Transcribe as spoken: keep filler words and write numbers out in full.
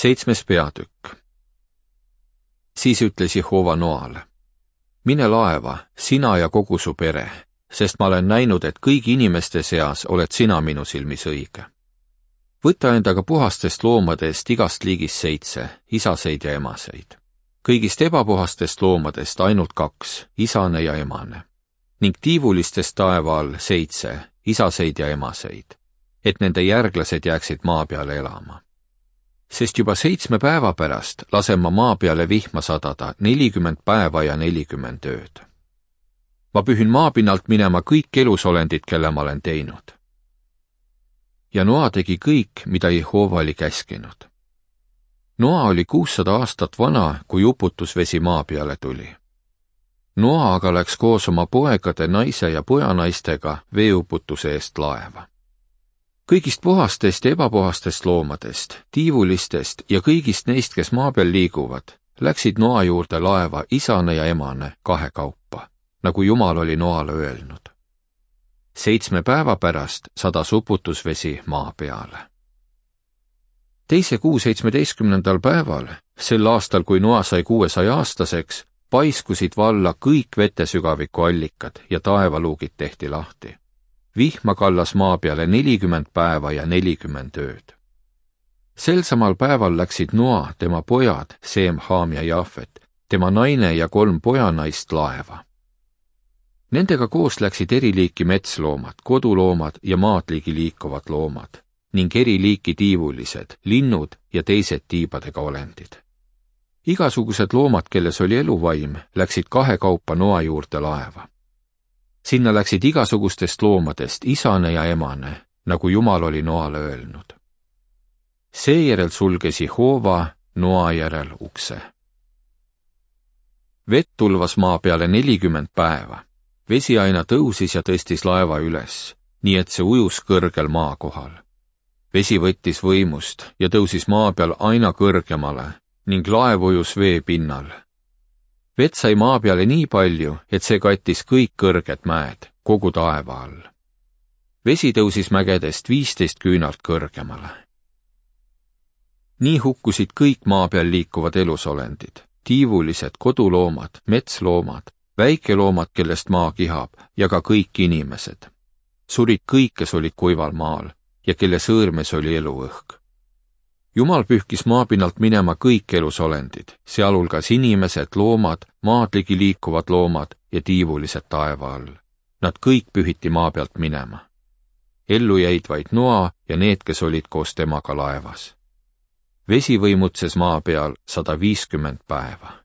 Seitsmes peatükk. Siis ütles Jehova Noale: mine laeva, sina ja kogu su pere, sest ma olen näinud, et kõigi inimeste seas oled sina minu silmis õige. Võta endaga puhastest loomadest igast liigist seitse, isaseid ja emaseid. Kõigist ebapuhastest loomadest ainult kaks, isane ja emane. Ning tiivulistest taeva all seitse, isaseid ja emaseid, et nende järglased jääksid maa peale elama. Sest juba seitsme päeva pärast lasen ma maa peale vihma sadada nelikümmend päeva ja nelikümmend ööd. Ma pühin maapinnalt minema kõik elusolendid, kelle ma olen teinud. Ja Noa tegi kõik, mida Jehova oli käskinud. Noa oli kuussada aastat vana, kui uputusvesi maa peale tuli. Noa aga läks koos oma poegade, naise ja pojanaistega veeuputuse eest laeva. Kõigist puhastest ja ebapuhastest loomadest, tiivulistest ja kõigist neist, kes maa peal liiguvad, läksid Noa juurde laeva isane ja emane kahe kaupa, nagu Jumal oli Noale öelnud. Seitsme päeva pärast sadas uputusvesi maa peale. Teise kuu seitsmeteistkümnendal päeval, sel aastal, kui Noa sai kuuesaja aastaseks, paiskusid valla kõik vetesügaviku allikad ja taevaluugid tehti lahti. Vihma kallas maa peale nelikümmend päeva ja nelikümmend ööd. Sel samal päeval läksid Noa, tema pojad, Seem, Haam ja Jaafet, tema naine ja kolm pojanaist laeva. Nendega koos läksid eri liiki metsloomad, koduloomad ja maadligi liikuvad loomad ning eri liiki tiivulised, linnud ja teised tiibadega olendid. Igasugused loomad, kelles oli eluvaim, läksid kahe kaupa Noa juurde laeva. Sinna läksid igasugustest loomadest isane ja emane, nagu Jumal oli Noale öelnud. Seejärel sulges Jehova Noa järel ukse. Vett tulvas maa peale nelikümmend päeva. Vesi aina tõusis ja tõstis laeva üles, nii et see ujus kõrgel maa kohal. Vesi võttis võimust ja tõusis maa peal aina kõrgemale ning laev ujus vee pinnal. Vett sai maa peale nii palju, et see kattis kõik kõrged mäed, kogu taeva all. Vesi tõusis mägedest viisteist küünalt kõrgemale. Nii hukkusid kõik maa peal liikuvad elusolendid, tiivulised, koduloomad, metsloomad, väikeloomad, kellest maa kihab, ja ka kõik inimesed. Surid kõik, kes olid kuival maal ja kelle sõõrmes oli eluõhk. Jumal pühkis maapinnalt minema kõik elusolendid, sealhulgas inimesed, loomad, maadligi liikuvad loomad ja tiivulised taeva all. Nad kõik pühiti maa pealt minema. Ellu jäid vaid Noa ja need, kes olid koos temaga laevas. Vesi võimutses maa peal sada viiskümmend päeva.